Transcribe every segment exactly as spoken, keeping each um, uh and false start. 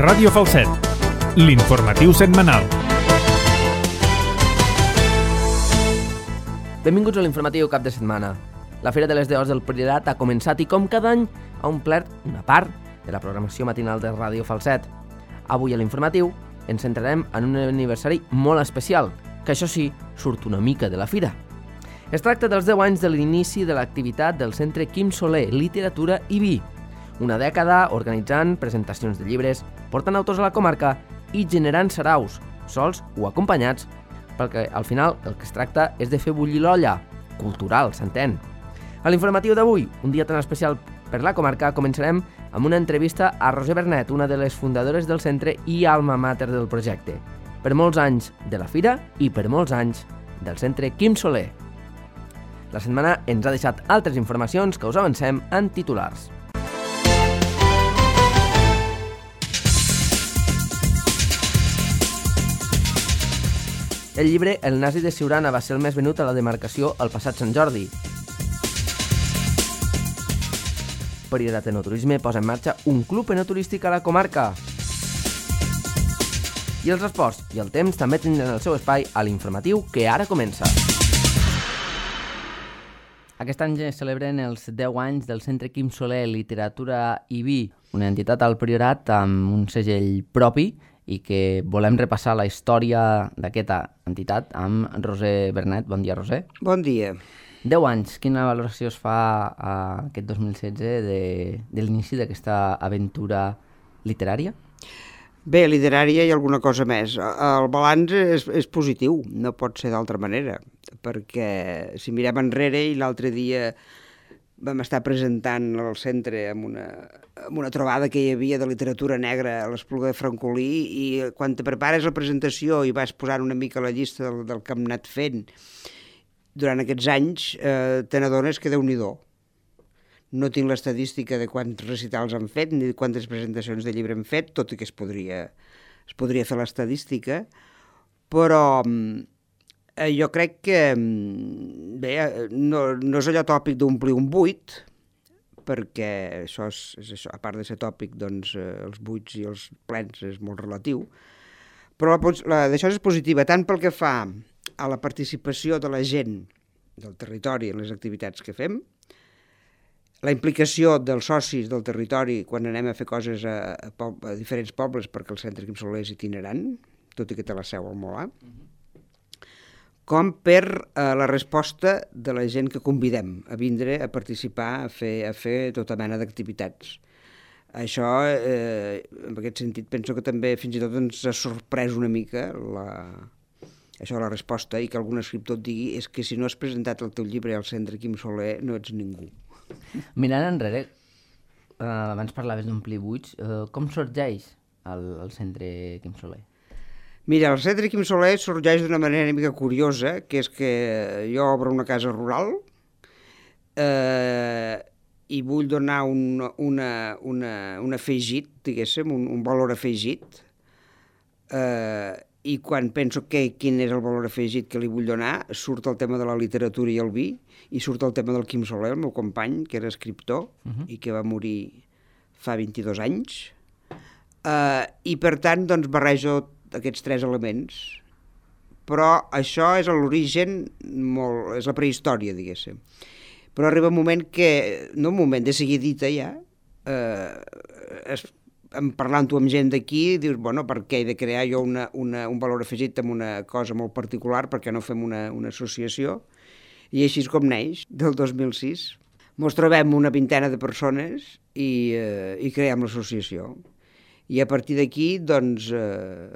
Ràdio Falset, l'informatiu setmanal. Benvinguts a l'informatiu cap de setmana. La Fira de les Deos del Priorat ha començat i, com cada any, ha omplert una part de la programació matinal de Ràdio Falset. Avui a l'informatiu ens centrarem en un aniversari molt especial, que això sí, surt una mica de la fira. Es tracta dels deu anys de l'inici de l'activitat del Centre Quim Soler, Literatura i Vi. Una dècada organitzant presentacions de llibres, portant autors a la comarca i generant saraus, sols o acompanyats, perquè al final el que es tracta és de fer bullir l'olla, cultural, s'entén. A l'informatiu d'avui, un dia tan especial per la comarca, començarem amb una entrevista a Roser Bernet, una de les fundadores del centre i alma mater del projecte. Per molts anys de la fira i per molts anys del Centre Quim Soler. La setmana ens ha deixat altres informacions que us avancem en titulars. El llibre El nazi de Siurana va ser el més venut a la demarcació el passat Sant Jordi. Priorat Enoturisme posa en marxa un club enoturístic a la comarca. I els esports i el temps també tindran el seu espai a l'informatiu que ara comença. Aquest any es celebren els deu anys del Centre Quim Soler, Literatura i Vi, una entitat al Priorat amb un segell propi i que volem repassar la història d'aquesta entitat amb Roser Bernet. Bon dia, Roser. Bon dia. Deu anys. Quina valoració es fa a aquest dos mil setze de, de l'inici d'aquesta aventura literària? Bé, literària i alguna cosa més. El balanç és, és positiu, no pot ser d'altra manera, perquè si mirem enrere i l'altre dia vam estar presentant al centre amb una, amb una trobada que hi havia de literatura negra a l'Espluga de Francolí, i quan te prepares la presentació i vas posant una mica la llista del, del que hem anat fent durant aquests anys, eh, te n'adones que Déu-n'hi-do. No tinc l'estadística de quants recitals han fet ni de quantes presentacions de llibre han fet, tot i que es podria, es podria fer l'estadística, però eh, jo crec que bé, no, no és allò tòpic d'omplir un buit, perquè això és, és això, a part de ser tòpic, doncs eh, els buits i els plens és molt relatiu, però la, la, d'això és positiva, tant pel que fa a la participació de la gent del territori en les activitats que fem, la implicació dels socis del territori quan anem a fer coses a, a, po- a diferents pobles, perquè el Centre Quim Soler és itinerant, tot i que té la seu al Molar, com per eh, la resposta de la gent que convidem a vindre a participar, a fer, a fer tota mena d'activitats. Això, eh, en aquest sentit, penso que també fins i tot ens ha sorprès una mica la, això, la resposta, i que algun escriptor et digui és que si no has presentat el teu llibre al Centre Quim Soler no ets ningú. Mirant enrere, eh, abans parlaves d'omplir buits, eh, com sorgeix el, el Centre Quim Soler? Mira, el Centre Quim Soler sorgeix d'una manera una mica curiosa, que és que jo obro una casa rural eh, i vull donar un, una, una, un afegit, diguéssim, un, un valor afegit, eh, i quan penso que quin és el valor afegit que li vull donar, surt el tema de la literatura i el vi, i surt el tema del Quim Soler, el meu company, que era escriptor, uh-huh. i que va morir fa vint-i-dos anys, eh, i per tant doncs, barrejo aquests tres elements, però això és l'origen, molt, és la prehistòria, diguéssim. Però arriba un moment que, no un moment, de seguidita ja, eh, es, parlant-ho amb gent d'aquí, dius, bueno, per què he de crear jo una, una, un valor afegit amb una cosa molt particular, perquè no fem una, una associació? I així és com neix, del dos mil sis. Ens trobem una vintena de persones i, eh, i creem l'associació. I a partir d'aquí, doncs, eh,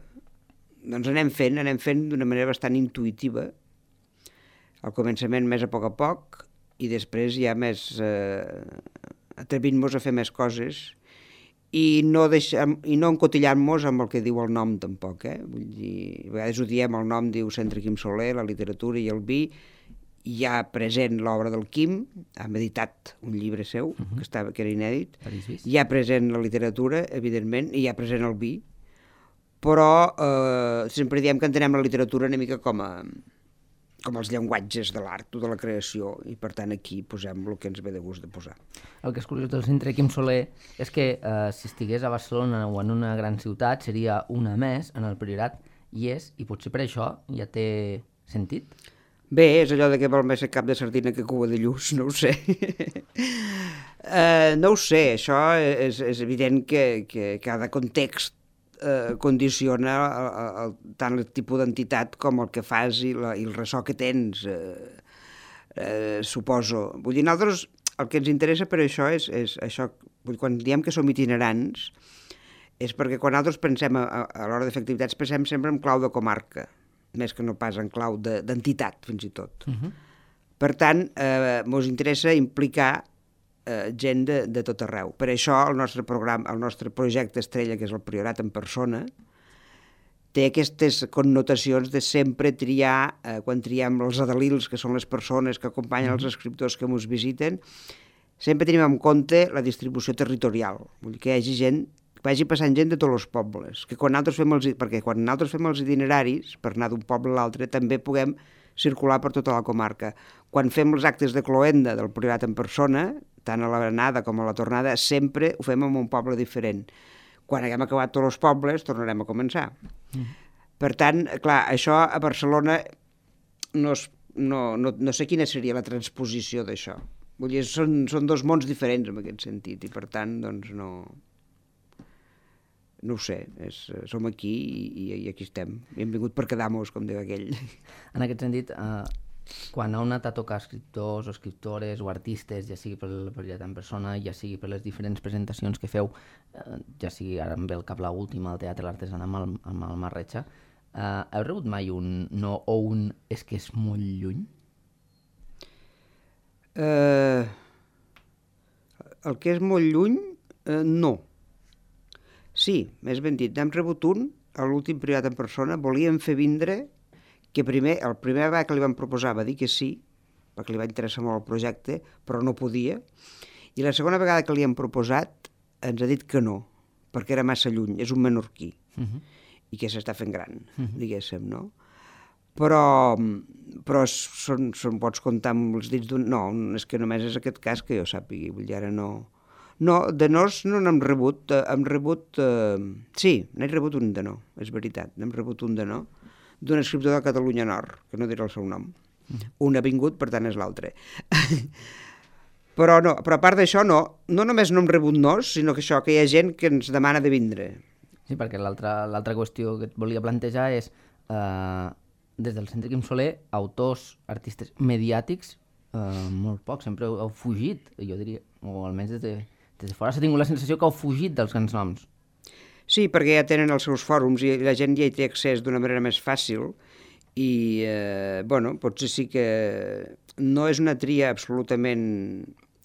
doncs anem fent, anem fent d'una manera bastant intuïtiva. Al començament més a poc a poc, i després ja més eh, atrevint-nos a fer més coses, i no, deixem, i no encotillant-nos amb el que diu el nom tampoc, eh? Vull dir, a vegades ho diem, el nom diu Centre Quim Soler, la literatura i el vi, hi ha present l'obra del Quim, ha editat un llibre seu, uh-huh. que, estava, que era inèdit, hi ha present la literatura, evidentment, i hi ha present el vi, però eh, sempre diem que entenem la literatura una mica com a, com els llenguatges de l'art o de la creació, i per tant aquí posem el que ens ve de gust de posar. El que és curiós del Centre Quim Soler és que eh, si estigués a Barcelona o en una gran ciutat seria una més en el Priorat, i és, i potser per això ja té sentit. Bé, és allò de que val més ser cap de sardina que cua de lluç, no ho sé. uh, no ho sé, això és, és evident que, que cada context eh, condiciona el, el, tant el tipus d'entitat com el que fas i, la, i el ressò que tens, eh, eh, suposo. Vull dir, nosaltres el que ens interessa per això és, és això, vull dir, quan diem que som itinerants, és perquè quan nosaltres pensem a, a, a l'hora de fer activitats, pensem sempre en clau de comarca, més que no pas en clau d'entitat, de, fins i tot. Uh-huh. Per tant, eh, ens interessa implicar eh, gent de, de tot arreu. Per això el nostre programa, el nostre projecte estrella, que és el Priorat en persona, té aquestes connotacions de sempre triar, eh, quan triem els adalils, que són les persones que acompanyen els escriptors que ens visiten, sempre tenim en compte la distribució territorial. Vull dir que hi hagi gent, que vagi passant gent de tots els pobles, que quan nosaltres fem els, perquè quan nosaltres fem els itineraris, per anar d'un poble a l'altre, també puguem circular per tota la comarca. Quan fem els actes de cloenda del Priorat en persona, tant a l'anada com a la tornada, sempre ho fem en un poble diferent. Quan haguem acabat tots els pobles, tornarem a començar. Mm. Per tant, clar, això a Barcelona no, es, no, no, no sé quina seria la transposició d'això. Vull dir, són, són dos mons diferents en aquest sentit, i per tant, doncs no... No ho sé, és, som aquí i, i aquí estem. Hem vingut per quedar-nos, com diu aquell. En aquest sentit, eh, quan heu anat a tocar escriptors o escriptores o artistes, ja sigui per el Priorat en persona, ja sigui per les diferents presentacions que feu, eh, ja sigui ara em ve el cap l'última al Teatre L'Artesana amb el, amb el Marretxa, eh, heu rebut mai un no o un és que és molt lluny? Eh, el que és molt lluny, eh, no. Sí, més ben dit, n'hem rebut un, a l'últim Priorat en persona, volíem fer vindre, que primer, el primer vegada que li vam proposar va dir que sí, perquè li va interessar molt el projecte, però no podia, i la segona vegada que li hem proposat ens ha dit que no, perquè era massa lluny, és un menorquí, uh-huh. i que s'està fent gran, uh-huh. diguéssim, no? Però, però són, són, pots comptar amb els dits d'un... No, és que només és aquest cas que jo sàpigui, vull dir, ara no... No, de nos no n'hem rebut, eh, hem rebut, eh, sí, n'he rebut un de no, és veritat, n'hem rebut un de no, d'un escriptor de Catalunya Nord, que no diré el seu nom. Mm. Un ha vingut, per tant és l'altre. però no, però a part d'això no, no només no hem rebut nos, sinó que això, que hi ha gent que ens demana de vindre. Sí, perquè l'altra qüestió que et volia plantejar és, eh, des del Centre Quim Soler, autors, artistes mediàtics, eh, molt pocs, sempre heu, heu fugit, jo diria, o almenys des de... Des de fora s'ha tingut la sensació que heu fugit dels grans noms. Sí, perquè ja tenen els seus fòrums i la gent ja hi té accés d'una manera més fàcil i, eh, bueno, potser sí que no és una tria absolutament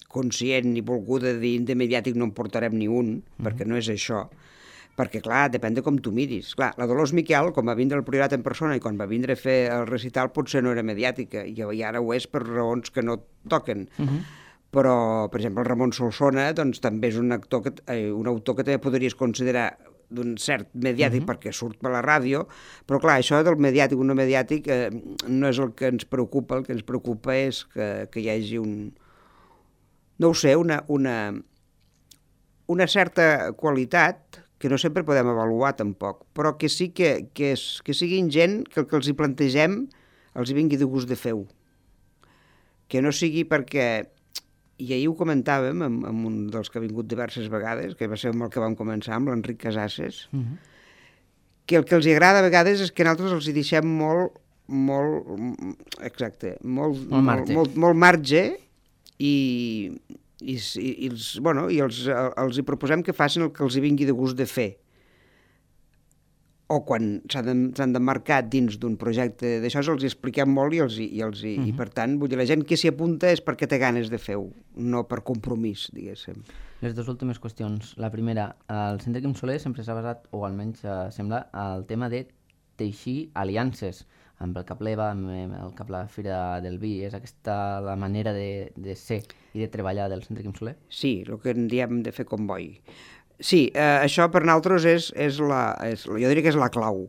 conscient ni volguda de dir de mediàtic no en portarem ni un, mm-hmm. perquè no és això. Perquè, clar, depèn de com tu miris. Clar, la Dolors Miquel, quan va vindre al Priorat en persona i quan va vindre a fer el recital, potser no era mediàtica, i ara ho és per raons que no toquen. Mm-hmm. Però, per exemple, el Ramon Solsona doncs, també és un, actor que, eh, un autor que també podries considerar d'un cert mediàtic uh-huh. perquè surt per la ràdio, però clar, això del mediàtic o no mediàtic eh, no és el que ens preocupa, el que ens preocupa és que, que hi hagi un... no ho sé, una, una, una certa qualitat que no sempre podem avaluar tampoc, però que sí que, que, és, que siguin gent que el que els hi plantegem els hi vingui de gust de fer-ho. Que no sigui perquè... I ahir ho comentàvem amb, amb un dels que ha vingut diverses vegades, que va ser amb el que vam començar, amb l'Enric Casases, uh-huh. que el que els agrada a vegades és que nosaltres els hi deixem molt, molt, exacte, molt, molt marge, molt, molt, molt marge i, i, i, els, bueno, i els, els hi proposem que facin el que els hi vingui de gust de fer. O quan s'han d'emmarcar dins d'un projecte d'això, els hi expliquem molt i, els, i, els, uh-huh. i per tant, vull dir, la gent que s'hi apunta és perquè té ganes de fer-ho, no per compromís, diguéssim. Les dues últimes qüestions. La primera, el Centre Quim Soler sempre s'ha basat, o almenys eh, sembla, el tema de teixir aliances amb el Capleva, amb el Cap la Fira del Vi. És aquesta la manera de, de ser i de treballar del Centre Quim Soler? Sí, el que en diem de fer comboi. Sí, eh, això per nosaltres és, és la, és, jo diria que és la clau.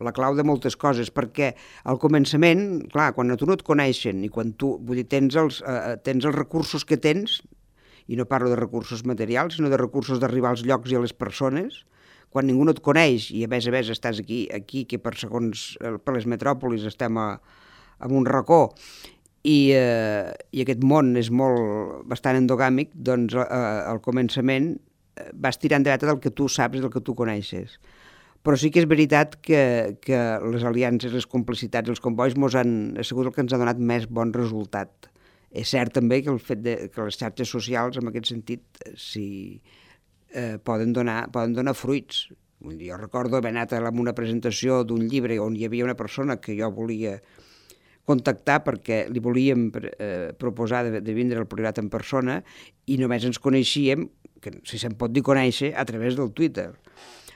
la clau de moltes coses, perquè al començament, clar, quan a tu no et coneixen i quan tu, vull dir, tens els, eh, tens els recursos que tens, i no parlo de recursos materials, sinó de recursos d'arribar als llocs i a les persones, quan ningú no et coneix i a més a més estàs aquí, aquí que per segons, per les metròpolis estem a, a un racó i, eh, i aquest món és molt, bastant endogàmic, doncs eh, al començament vas tirant de veta del que tu saps i del que tu coneixes. Però sí que és veritat que, que les aliances, les complicitats, els combois mos han, ha sigut el que ens ha donat més bon resultat. És cert també que el fet de, que les xarxes socials, en aquest sentit, sí, eh, poden, donar, poden donar fruits. Jo recordo haver anat a una presentació d'un llibre on hi havia una persona que jo volia contactar perquè li volíem eh, proposar de, de vindre al Priorat en persona i només ens coneixíem, que si se'n pot dir conèixer, a través del Twitter.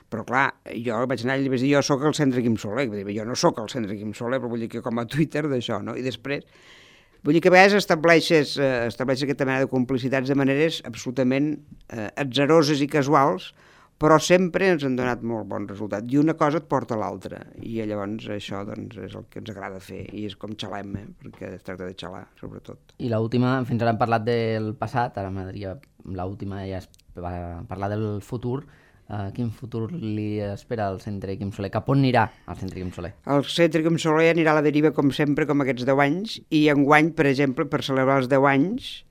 Però clar, jo vaig anar i li vaig dir, jo sóc el Centre Quim Soler. Vull dir, jo no sóc el Centre Quim Soler, però vull dir que com a Twitter d'això, no? I després... Vull dir que a vegades estableixes, eh, estableixes aquesta mena de complicitats de maneres absolutament eh, atzaroses i casuals, però sempre ens han donat molt bon resultat. I una cosa et porta a l'altra. I llavors això doncs, és el que ens agrada fer. I és com xalem, eh? Perquè es tracta de xalar, sobretot. I l'última, fins ara hem parlat del passat, ara m'agradaria, l'última ja és parlar del futur. Uh, quin futur li espera al Centre Quim Soler? Cap on anirà el Centre Quim Soler? El Centre Quim Soler anirà a la deriva com sempre, com aquests deu anys, i enguany, per exemple, per celebrar els deu anys,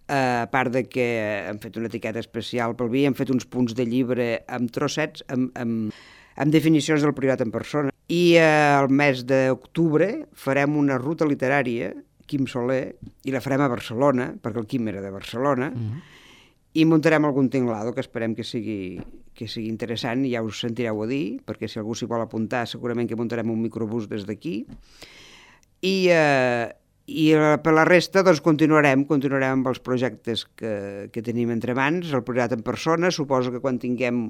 uh, a part de que hem fet una etiqueta especial pel vi, hem fet uns punts de llibre amb trossets, amb, amb, amb definicions del Priorat en persona, i uh, el mes d'octubre farem una ruta literària, Quim Soler, i la farem a Barcelona, perquè el Quim era de Barcelona, mm-hmm. I muntarem algun tinglado que esperem que sigui, que sigui interessant, ja us sentireu a dir, perquè si algú s'hi vol apuntar segurament que muntarem un microbús des d'aquí. I, eh, i per la resta doncs, continuarem, continuarem amb els projectes que, que tenim entre mans, el Priorat en persona, suposo que quan tinguem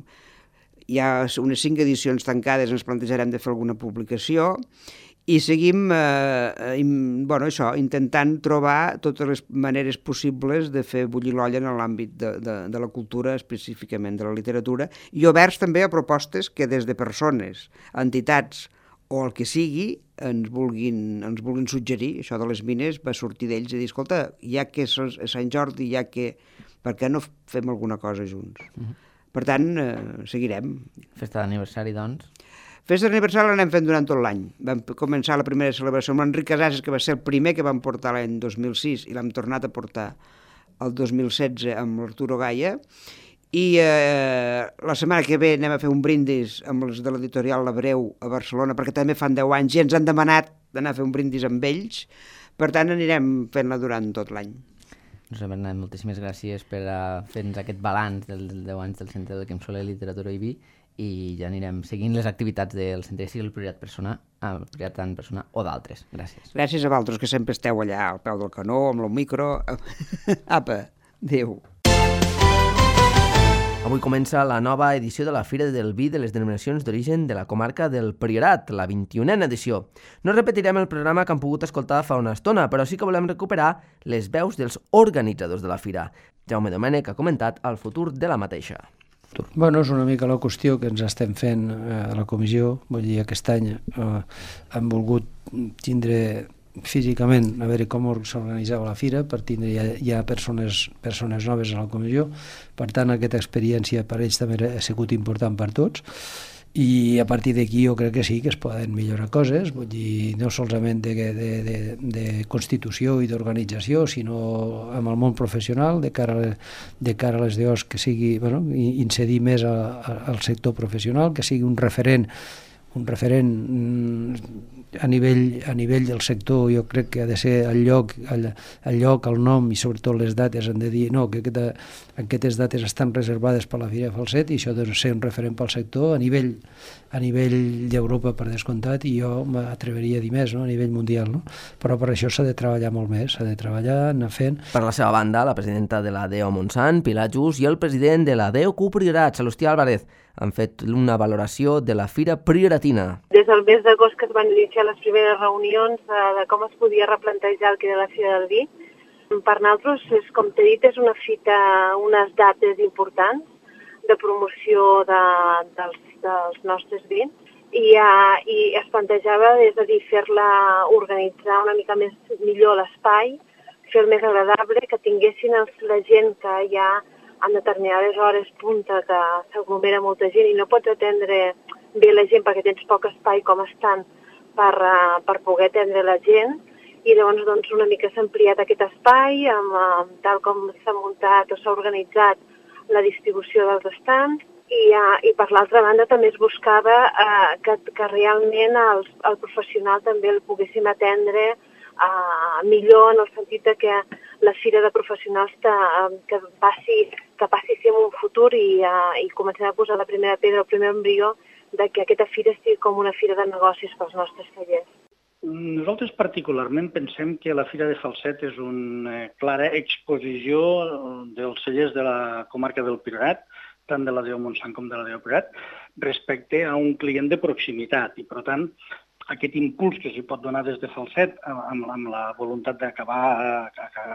ja unes cinc edicions tancades ens plantejarem de fer alguna publicació, i seguim eh, in, bueno, això, intentant trobar totes les maneres possibles de fer bullir l'olla en l'àmbit de, de, de la cultura, específicament de la literatura, i oberts també a propostes que des de persones, entitats o el que sigui ens vulguin, ens vulguin suggerir. Això de les mines va sortir d'ells i dir, escolta, ja que és a Sant Jordi, ja que... per què no fem alguna cosa junts? Uh-huh. Per tant, eh, seguirem. Festa d'aniversari, doncs? Festa d'aniversari l'anem fent durant tot l'any. Vam començar la primera celebració amb l'Enric Casases, que va ser el primer que vam portar l'any dos mil sis, i l'hem tornat a portar el dos mil setze amb l'Arturo Gaia. I eh, la setmana que ve anem a fer un brindis amb els de l'editorial L'Abreu a Barcelona, perquè també fan deu anys i ens han demanat d'anar a fer un brindis amb ells. Per tant, anirem fent-la durant tot l'any. Doncs, Bernat, moltíssimes gràcies per fer-nos aquest balanç dels deu anys del Centre de Quim Soler, Literatura i Vi, i ja anirem seguint les activitats del centre, sigui el Priorat persona, el Priorat en persona o d'altres. Gràcies. Gràcies a vosaltres, que sempre esteu allà al peu del canó, amb el micro. Apa, adéu. Avui comença la nova edició de la Fira del Vi de les denominacions d'origen de la comarca del Priorat, la vint-i-unena edició. No repetirem el programa que han pogut escoltar fa una estona, però sí que volem recuperar les veus dels organitzadors de la fira. Jaume Domènech ha comentat el futur de la mateixa. Bueno, és una mica la qüestió que ens estem fent eh, a la comissió. Vull dir, aquest any eh, hem volgut tindre físicament, a veure com s'organitzava la fira, per tindre ja, ja persones, persones noves a la comissió. Per tant, aquesta experiència per ells també ha sigut important per tots. I a partir d'aquí jo crec que sí que es poden millorar coses, vull dir, no solament de, de, de, de constitució i d'organització, sinó amb el món professional, de cara a, de cara a les D Os, que sigui, bueno, incidir més a, a, al sector professional, que sigui un referent un referent a nivell, a nivell del sector. Jo crec que ha de ser el lloc, el, el lloc, el nom i sobretot les dates han de dir no, que aquesta, aquestes dates estan reservades per la Fira de Falset i això ha de ser un referent pel sector a nivell, a nivell d'Europa per descomptat, i jo m'atreveria a dir més, no? A nivell mundial, no? Però per això s'ha de treballar molt més, s'ha de treballar, anar fent. Per la seva banda, la presidenta de la D E O Montsant, Pilar Just, i el president de la D E O Q Priorat, Salustià Álvarez, han fet una valoració de la Fira Prioratina. Des del mes d'agost que es van iniciar les primeres reunions de, de com es podia replantejar el que era la Fira del Vi, per nosaltres, és, com t'he dit, és una fita, unes dates importants de promoció de, dels, dels nostres vins, i, uh, i es plantejava, és a dir, fer-la organitzar una mica més millor l'espai, fer-lo més agradable, que tinguessin els, la gent que hi ha en determinades hores punta, que s'aglomera molta gent i no pots atendre bé la gent perquè tens poc espai com estan per, uh, per poder atendre la gent. I llavors doncs, una mica s'ha ampliat aquest espai, amb, amb, tal com s'ha muntat o s'ha organitzat la distribució dels estants, i, uh, i per l'altra banda també es buscava uh, que, que realment els, el professional també el poguéssim atendre uh, millor, en el sentit de que la fira de professionals que, uh, que, passi, que passi sí en un futur i, uh, i comencem a posar la primera pedra, el primer embrió, de que aquesta fira sigui com una fira de negocis pels nostres tallers. Nosaltres particularment pensem que la Fira de Falset és una clara exposició dels cellers de la comarca del Priorat, tant de la Déu Montsant com de la Déu Priorat, respecte a un client de proximitat. I, per tant, aquest impuls que s'hi pot donar des de Falset, amb, amb la voluntat d'acabar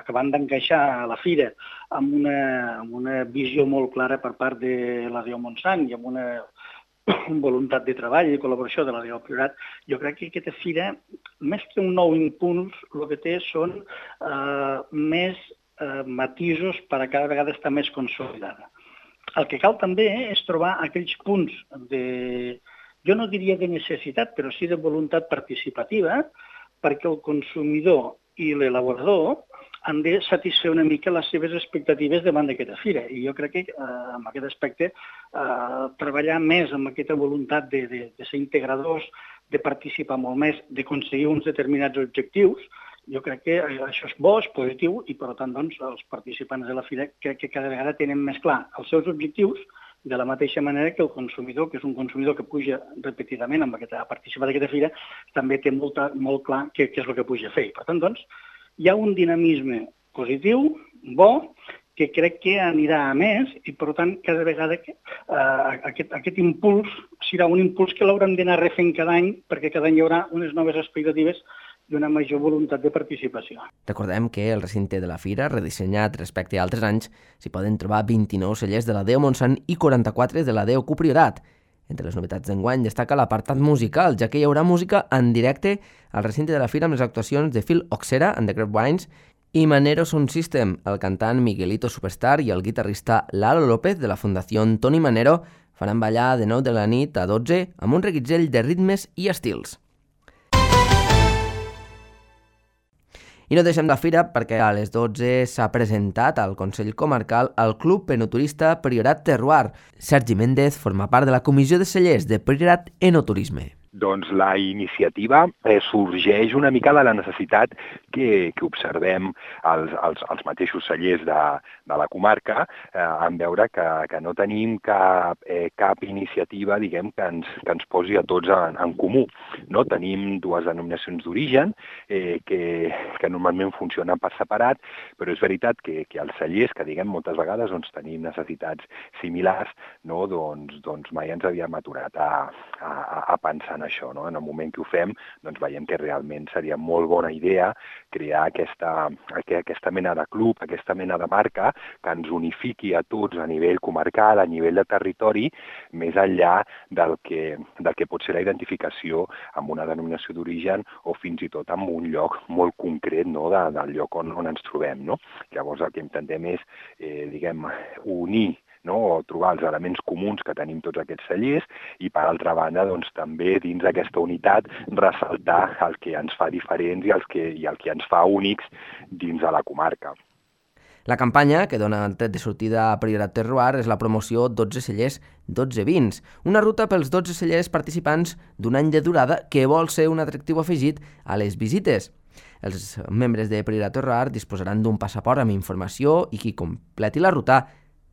acabant d'encaixar a la Fira, amb una, amb una visió molt clara per part de la Déu Montsant i amb una voluntat de treball i col·laboració de la Déu Priorat, jo crec que aquesta fira, més que un nou impuls, el que té són eh, més eh, matisos per a cada vegada estar més consolidada. El que cal també és trobar aquells punts de, jo no diria de necessitat, però sí de voluntat participativa, perquè el consumidor i l'elaborador han de satisfer una mica les seves expectatives davant d'aquesta fira. I jo crec que eh, en aquest aspecte eh, treballar més amb aquesta voluntat de, de, de ser integradors, de participar molt més, d'aconseguir uns determinats objectius, jo crec que això és bo, és positiu i per tant doncs, els participants de la fira crec que cada vegada tenen més clar els seus objectius, de la mateixa manera que el consumidor, que és un consumidor que puja repetidament amb aquesta, a participar d'aquesta fira, també té molt, molt clar què, què és el que puja a fer. Per tant, doncs, hi ha un dinamisme positiu, bo, que crec que anirà a més i, per tant, cada vegada que, uh, aquest, aquest impuls serà un impuls que l'haurem d'anar refent cada any perquè cada any hi haurà unes noves expectatives i una major voluntat de participació. Recordem que el recinte de la fira, redissenyat respecte a altres anys, s'hi poden trobar vint-i-nou cellers de la Déu Montsant i quaranta-quatre de la Déu Priorat. Entre les novetats d'enguany destaca l'apartat musical, ja que hi haurà música en directe al recinte de la fira amb les actuacions de Phil Oxera and the Grapevines i Manero Sound System, el cantant Miguelito Superstar i el guitarrista Lalo López de la Fundació Toni Manero faran ballar de nou de la nit a dotze amb un reguitzell de ritmes i estils. I no deixem la fira perquè a les dotze s'ha presentat al Consell Comarcal el Club Enoturista Priorat Terroir. Sergi Méndez forma part de la Comissió de Cellers de Priorat Enoturisme. Doncs la iniciativa eh, sorgeix una mica de la necessitat que, que observem els, els, els mateixos cellers de, de la comarca eh, en veure que, que no tenim cap, eh, cap iniciativa diguem, que, ens, que ens posi a tots en, en comú. No? Tenim dues denominacions d'origen eh, que, que normalment funcionen per separat, però és veritat que, que els cellers, que diguem moltes vegades doncs, tenim necessitats similars, no? doncs, doncs mai ens havíem aturat a, a, a pensar en això, no? En el moment que ho fem, doncs veiem que realment seria molt bona idea crear aquesta, aquesta mena de club, aquesta mena de marca que ens unifiqui a tots a nivell comarcal, a nivell de territori, més enllà del que, del que pot ser la identificació amb una denominació d'origen o fins i tot amb un lloc molt concret, no? de, del lloc on, on ens trobem. No? Llavors el que intentem és eh, diguem, unir, no? o trobar els elements comuns que tenim tots aquests cellers i, per altra banda, doncs, també dins d'aquesta unitat ressaltar el que ens fa diferents i el que, i el que ens fa únics dins de la comarca. La campanya, que dona el tret de sortida a Priorat Terroir, és la promoció dotze cellers, dotze vins, una ruta pels dotze cellers participants d'un any de durada que vol ser un atractiu afegit a les visites. Els membres de Priorat Terroir disposaran d'un passaport amb informació i qui completi la ruta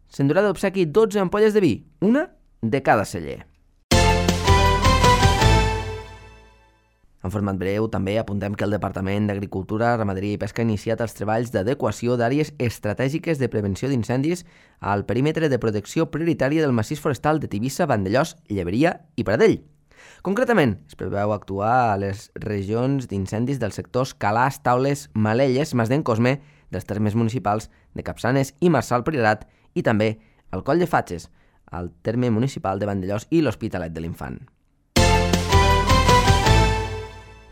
s'endurà d'obsequi dotze ampolles de vi, una de cada celler. En format breu, també apuntem que el Departament d'Agricultura, Ramaderia i Pesca ha iniciat els treballs d'adequació d'àrees estratègiques de prevenció d'incendis al perímetre de protecció prioritària del massís forestal de Tivissa, Vandellòs, Lleberia i Pradell. Concretament, es preveu actuar a les regions d'incendis dels sectors Calàs, Taules, Malelles, Masden, Cosme, dels termes municipals de Capçanes i Marçal Priorat i també al Coll de Fatxes, al terme municipal de Vandellòs i l'Hospitalet de l'Infant.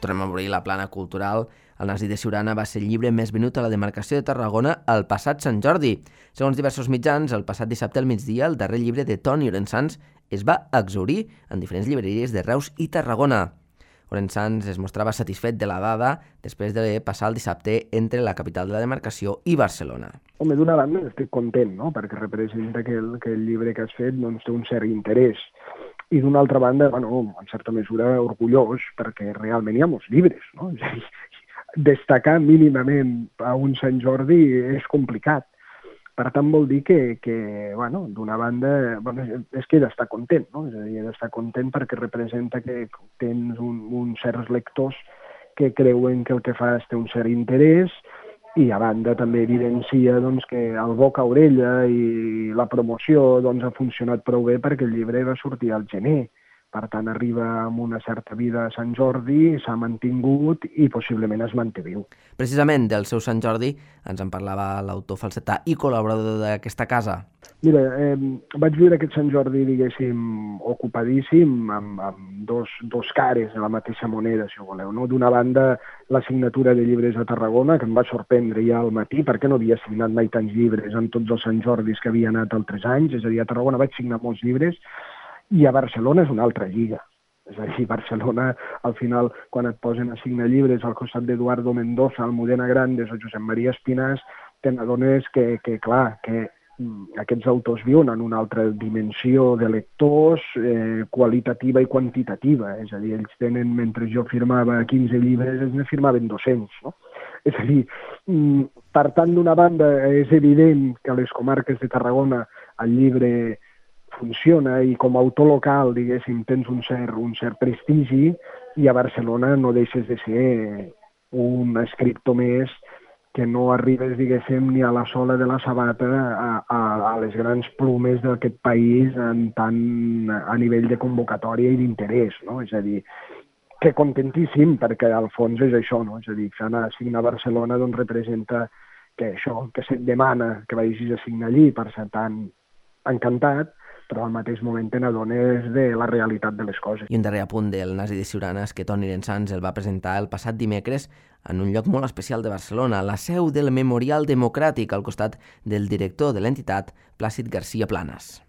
tornem a obrir la plana cultural. El Nasi de Siurana va ser el llibre més venut a la demarcació de Tarragona el passat Sant Jordi. Segons diversos mitjans, el passat dissabte al migdia, el darrer llibre de Toni Orensanz es va exaurir en diferents llibreries de Reus i Tarragona. Orensanz es mostrava satisfet de la dada després de passar el dissabte entre la capital de la demarcació i Barcelona. Home, d'una banda estic content, no?, perquè representa que el, que el llibre que has fet doncs, té un cert interès. I d'una altra banda, bueno, en certa mesura orgullós, perquè realment hi ha molts llibres, no? És a dir, destacar mínimament a un Sant Jordi és complicat. Per tant, vol dir que, que bueno, d'una banda, bueno, és que he d'estar content, no? És a dir, he d'estar content perquè representa que tens un, uns certs lectors que creuen que el que fas té un cert interès i, a banda, també evidencia doncs, que el boca a orella i la promoció doncs, ha funcionat prou bé perquè el llibre va sortir al gener. Per tant, arriba amb una certa vida a Sant Jordi, s'ha mantingut i possiblement es manté viu. Precisament del seu Sant Jordi ens en parlava l'autor falsetà i col·laborador d'aquesta casa. Mira, eh, vaig viure aquest Sant Jordi, diguéssim, ocupadíssim, amb, amb dos, dos cares de la mateixa moneda, si ho voleu. No? D'una banda, la signatura de llibres a Tarragona, que em va sorprendre ja al matí, perquè no havia signat mai tants llibres en tots els Sant Jordis que havia anat altres anys. És a dir, a Tarragona vaig signar molts llibres, i a Barcelona és una altra lliga. És a dir, Barcelona, al final, quan et posen a signar llibres al costat d'Eduardo Mendoza, Almudena Grandes o Josep Maria Espinàs, te n'adones que, que, clar, que aquests autors viuen en una altra dimensió de lectors eh, qualitativa i quantitativa. És a dir, ells tenen, mentre jo firmava quinze llibres, ells ne firmaven dos-cents, no? És a dir, per tant, d'una banda, és evident que a les comarques de Tarragona el llibre funciona i com a autor local, diguéssim, tens un cert, un cert prestigi i a Barcelona no deixes de ser un escriptor més que no arribes, diguéssim, ni a la sola de la sabata a, a, a les grans plumes d'aquest país en tant a nivell de convocatòria i d'interès, no? És a dir, que contentíssim, perquè al fons és això, no? És a dir, que anar a signar a Barcelona doncs representa que això, que se't demana que vagis a signar allí, per ser tan encantat, però al mateix moment te n'adones de la realitat de les coses. I un darrer apunt del Nasi de Siurana és que Toni Orensanz el va presentar el passat dimecres en un lloc molt especial de Barcelona, la seu del Memorial Democràtic, al costat del director de l'entitat, Plàcid García Planas.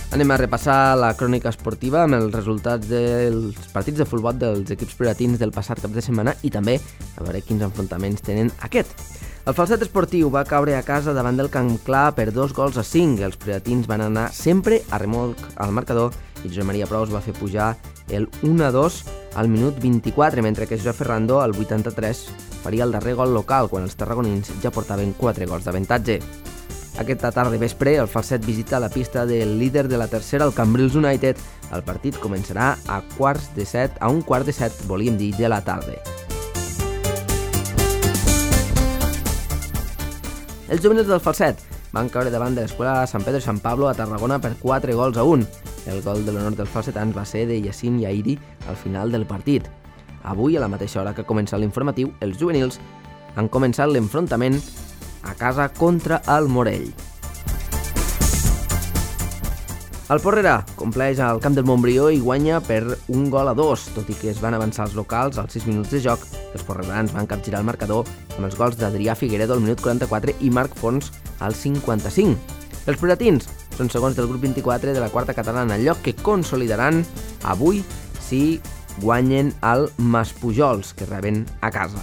Anem a repassar la crònica esportiva amb els resultats dels partits de futbol dels equips prioratins del passat cap de setmana i també a veure quins enfrontaments tenen aquest. El Falset Esportiu va caure a casa davant del Camp Clar per dos gols a cinc. Els prioratins van anar sempre a remolc al marcador i Josep Maria Prous va fer pujar el u a dos al minut vint-i-quatre, mentre que Josep Ferrando al vuitanta-tres faria el darrer gol local quan els tarragonins ja portaven quatre gols d'avantatge. Aquesta tarda i vespre, el Falset visita la pista del líder de la tercera, el Cambrils United. El partit començarà a quarts de set, a un quart de set, volíem dir, de la tarda. Els juvenils del Falset van caure davant de l'escola Sant Pedro i Sant Pablo a Tarragona per quatre gols a un. El gol de l'honor dels falsetans va ser de Yacine Yairi al final del partit. Avui, a la mateixa hora que comença l'informatiu, els juvenils han començat l'enfrontament a casa contra el Morell. El Porrera compleix al camp del Montbrió i guanya per un gol a dos. Tot i que es van avançar els locals als sis minuts de joc, els porrerans van capgirar el marcador amb els gols d'Adrià Figueredo al minut quaranta-quatre i Marc Fons al cinquanta-cinc. Els prioratins són segons del grup vint-i-quatre de la quarta catalana, lloc que consolidaran avui si guanyen el Maspujols, que reben a casa.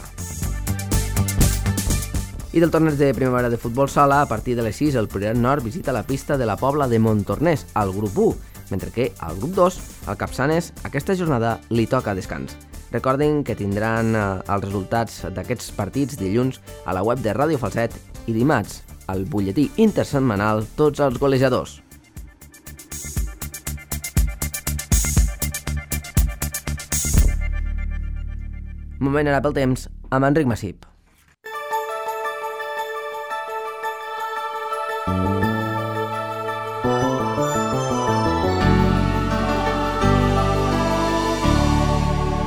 I del torneig de primavera de futbol sala, a partir de les sis, el Priorat Nord visita la pista de la Pobla de Montornès, al grup u, mentre que al grup dos, al Capçanes, aquesta jornada li toca descans. Recordin que tindran eh, els resultats d'aquests partits dilluns a la web de Ràdio Falset i dimarts al butlletí intersetmanal Tots els golejadors. Moment ara pel temps amb Enric Massip.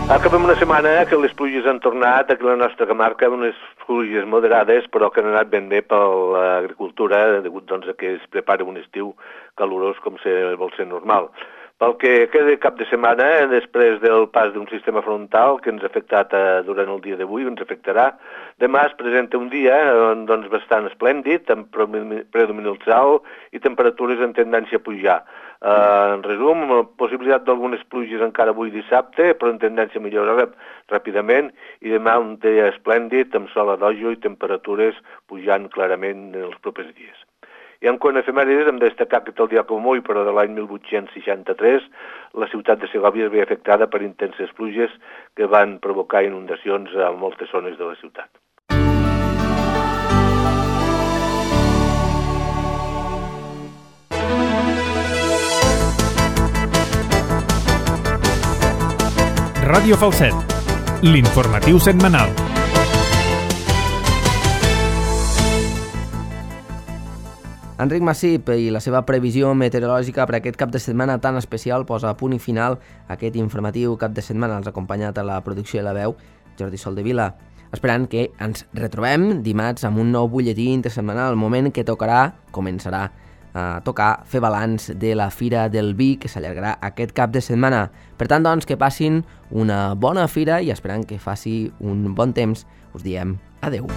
Acabem una setmana que les pluges han tornat, aquí a la nostra comarca, unes pluges moderades, però que han anat ben bé per l'agricultura, degut doncs, a que es prepara un estiu calorós com se vol ser normal. Pel que queda cap de setmana, després del pas d'un sistema frontal que ens ha afectat eh, durant el dia d'avui, ens afectarà, demà es presenta un dia eh, doncs, bastant esplèndid, amb predominant alt i temperatures en tendència a pujar. Uh, en resum, possibilitat d'algunes pluges encara avui dissabte, però en tendència a millorar ràpidament, i demà un dia esplèndid, amb sol a dojo i temperatures pujant clarament en els propers dies. I en quant a efemèrides, hem de destacar que el dia com avui, però de l'any mil vuit-cents seixanta-tres, la ciutat de Segòvia es veia afectada per intenses pluges que van provocar inundacions a moltes zones de la ciutat. Ràdio Falset, l'informatiu setmanal. Enric Massip i la seva previsió meteorològica per aquest cap de setmana tan especial posa a punt i final aquest informatiu cap de setmana. Els ha acompanyat a la producció i la veu Jordi Soldevila, esperant que ens retrobem dimarts amb un nou butlletí intersetmanal, el moment que tocarà, començarà a tocar fer balanç de la Fira del Vi que s'allargarà aquest cap de setmana. Per tant, doncs, que passin una bona fira i esperant que faci un bon temps, us diem adeu.